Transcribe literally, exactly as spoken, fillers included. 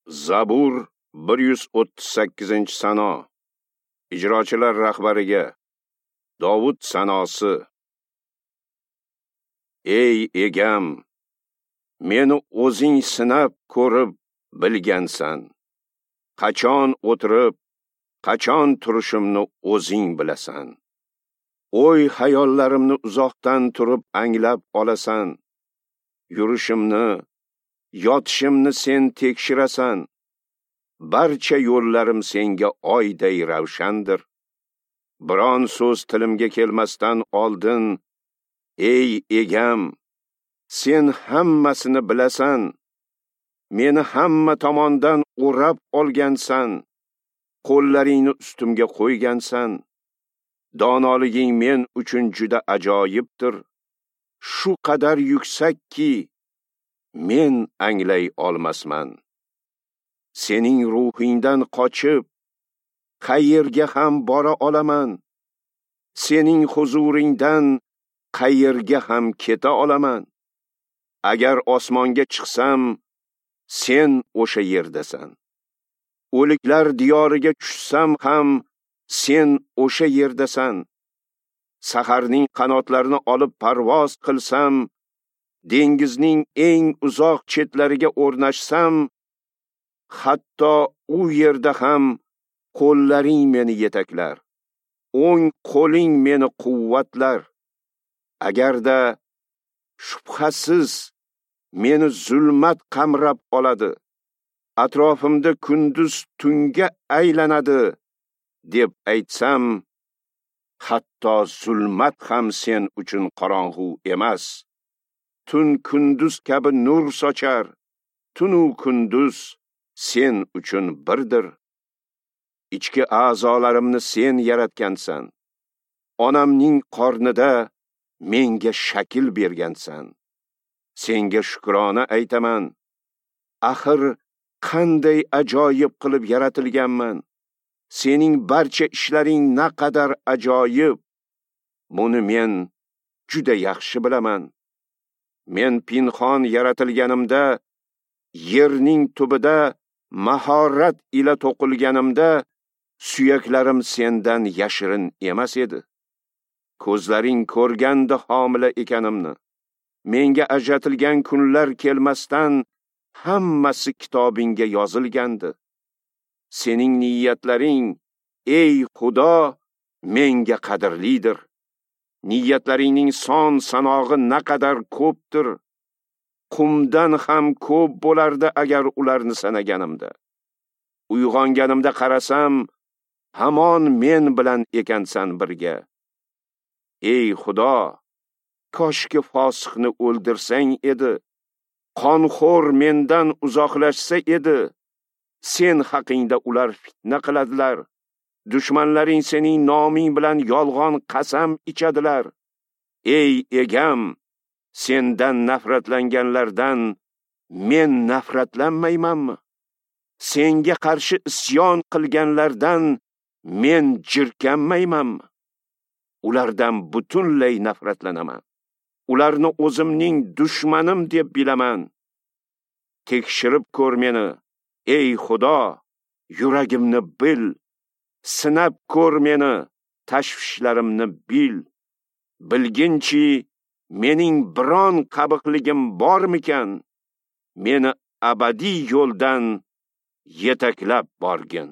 Zabur bir yuz o'ttiz sakkizinchi sano. Ijrochilar rahbariga Dovud sanosi. Ey egam, meni o'zing sinab ko'rib bilgansan. Qachon o'tirib, qachon turishimni o'zing bilasan. O'y xayollarimni uzoqdan turib anglab olasan. Yurishimni, yotishimni sen tekshirasan. Barcha yo'llarim senga oyday ravshandir. Biron so'z tilimga kelmasdan oldin, ey egam, sen hammasini bilasan. Meni hamma tomondan o'rab olgansan. Qo'llaringni ustimga qo'ygansan. Donoliging men uchun juda ajoyibdir. Shu qadar yuksakki, men anglay olmasman. Sening ruhingdan qochib, qayerga ham bora olaman? Sening huzuringdan qayerga ham keta olaman? Agar osmonga chiqsam, sen o'sha yerdasan. O'liklar diyoriga tushsam ham, sen o'sha yerdasan. Saharning qanotlarini olib parvoz qilsam, dengizning eng uzoq chetlariga o'rnashsam, hatto u yerda ham qo'llaring meni yetaklar, o'ng qo'ling meni quvvatlar. Agarda shubhasiz meni zulmat qamrab oladi, atrofimda kunduz tunga aylanadi deb aytsam, hatto zulmat ham sen uchun qorong'u emas. Tun kunduz kabi nur sochar, tunu kunduz sen uchun birdir. Ichki a'zolarimni sen yaratgansan. Onamning qornida menga shakl bergansan. Senga shukrona aytaman. Axir qanday ajoyib qilib yaratilganman. Sening barcha ishlaring naqadar ajoyib. Buni men juda yaxshi bilaman. Men pinxon yaratilganimda, yerning tubida mahorat ila to'qilganimda, suyaklarim sendan yashirin emas edi. Ko'zlaring ko'rganda homila ekanimni, menga ajratilgan kunlar kelmasdan hammasi kitobingga yozilgandi. Sening niyatlaring, ey Xudo, menga qadrlidir. Niyatlaringning son sanog'i naqadar ko'pdir. Qumdan ham ko'p bo'lardi agar ularni sanaganimda. Uyg'onganimda qarasam, hamon men bilan ekansan birga. Ey Xudo, koshki fosiqni o'ldirsang edi, qonxo'r mendan uzoqlashsa edi. Sen haqingda ular fitna qiladilar. Dushmanlaring sening noming bilan yolg'on qasam ichadilar. Ey egam, sendan nafratlanganlardan men nafratlanmaymanmi? Senga qarshi isyon qilganlardan men jirkanmaymanmi? Ulardan butunlay nafratlanaman. Ularni o'zimning dushmanim deb bilaman. Tekshirib ko'r meni, ey Xudo, yuragimni bil. Sinab ko'r meni, tashvishlarimni bil. Bilginchi, mening biron qabiqligim bormikan? Meni abadiy yo'ldan yetaklab borgin.